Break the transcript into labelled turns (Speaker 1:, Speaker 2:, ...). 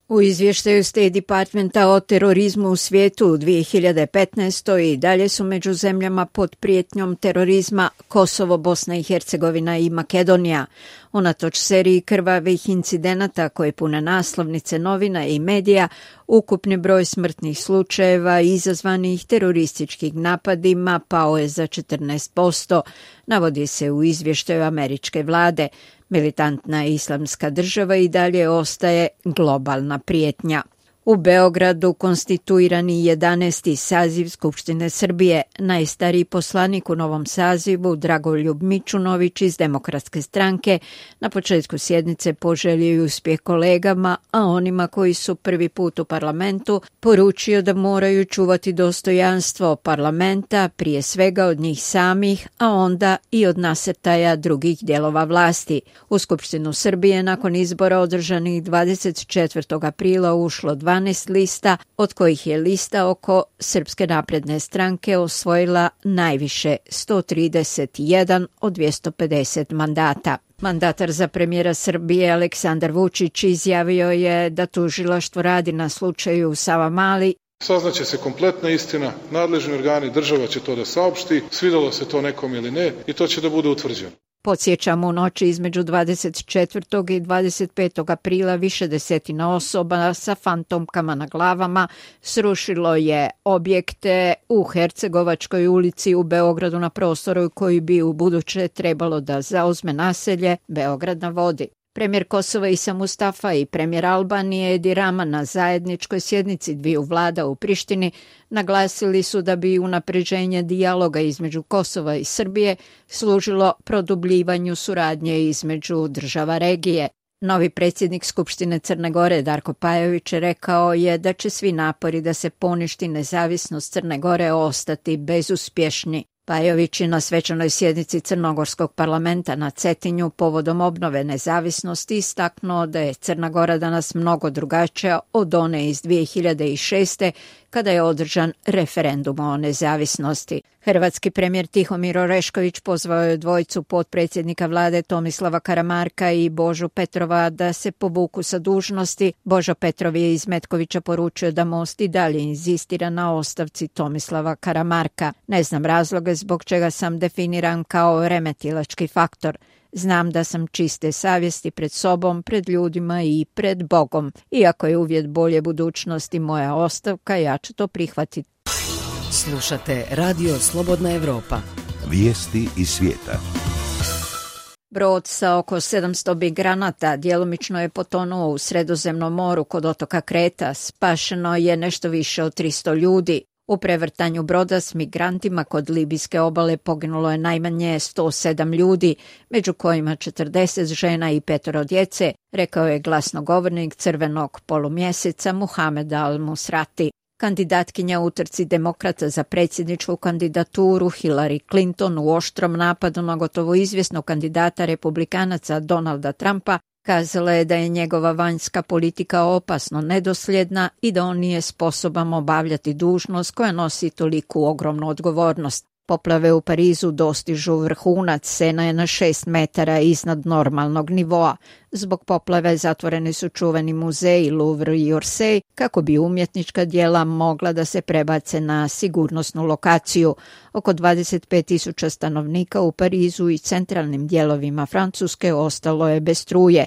Speaker 1: U izvještaju State Departmenta o terorizmu u svijetu u 2015. i dalje su među zemljama pod prijetnjom terorizma Kosovo, Bosna i Hercegovina i Makedonija. Unatoč seriji krvavih incidenata koje pune naslovnice novina i medija, ukupni broj smrtnih slučajeva izazvanih terorističkim napadima pao je za 14%, navodi se u izvještaju američke vlade. Militantna islamska država i dalje ostaje globalna prijetnja. U Beogradu konstituirani 11. saziv Skupštine Srbije. Najstariji poslanik u novom sazivu, Dragoljub Mićunović iz Demokratske stranke, na početku sjednice poželio i uspjeh kolegama, a onima koji su prvi put u parlamentu poručio da moraju čuvati dostojanstvo parlamenta, prije svega od njih samih, a onda i od nasrtaja drugih dijelova vlasti. U Skupštinu Srbije nakon izbora održanih 24. aprila ušlo 12 lista, od kojih je lista oko Srpske napredne stranke osvojila najviše 131 od 250 mandata. Mandatar za premijera Srbije Aleksandar Vučić izjavio je da tužilaštvo radi na slučaju Savamali.
Speaker 2: Saznaće se kompletna istina, nadležni organi, država će to da saopšti, svidalo se to nekom ili ne, i to će da bude utvrđeno.
Speaker 1: Podsjećamo, u noći između 24. i 25. aprila više desetina osoba sa fantomkama na glavama srušilo je objekte u Hercegovačkoj ulici u Beogradu na prostoru koji bi u buduće trebalo da zauzme naselje Beograd na vodi. Premijer Kosova Isa Mustafa i premijer Albanije Edi Rama na zajedničkoj sjednici dviju vlada u Prištini naglasili su da bi unapređenje dijaloga između Kosova i Srbije služilo produbljivanju suradnje između država regije. Novi predsjednik Skupštine Crne Gore Darko Pajović rekao je da će svi napori da se poništi nezavisnost Crne Gore ostati bezuspješni. Pajović je na svečanoj sjednici Crnogorskog parlamenta na Cetinju povodom obnove nezavisnosti istaknuo da je Crna Gora danas mnogo drugačija od one iz 2006. kada je održan referendum o nezavisnosti. Hrvatski premijer Tihomir Orešković pozvao je dvojicu potpredsjednika vlade Tomislava Karamarka i Božu Petrova da se povuku sa dužnosti. Božo Petrov je iz Metkovića poručio da Most i dalje inzistira na ostavci Tomislava Karamarka. Ne znam razloge zbog čega sam definiran kao remetilački faktor. Znam da sam čiste savjesti pred sobom, pred ljudima i pred Bogom. Iako je uvjet bolje budućnosti moja ostavka, ja ću to prihvatiti.
Speaker 3: Slušate Radio Slobodna Evropa.
Speaker 4: Vijesti iz svijeta.
Speaker 1: Brod sa oko 700 migranata djelomično je potonuo u Sredozemnom moru kod otoka Kreta. Spašeno je nešto više od 300 ljudi. U prevrtanju broda s migrantima kod libijske obale poginulo je najmanje 107 ljudi, među kojima 40 žena i 5 djece, rekao je glasnogovornik Crvenog polumjeseca Muhamed al-Musrati. Kandidatkinja u utrci demokrata za predsjedničku kandidaturu Hillary Clinton u oštrom napadu na gotovo izvjesnog kandidata republikanaca Donalda Trumpa kazala je da je njegova vanjska politika opasno nedosljedna i da on nije sposoban obavljati dužnost koja nosi toliku ogromnu odgovornost. Poplave u Parizu dostižu vrhunac, Sena je na 6 metara iznad normalnog nivoa. Zbog poplave zatvoreni su čuveni muzeji Louvre i Orsay kako bi umjetnička djela mogla da se prebace na sigurnosnu lokaciju. Oko 25.000 stanovnika u Parizu i centralnim dijelovima Francuske ostalo je bez struje.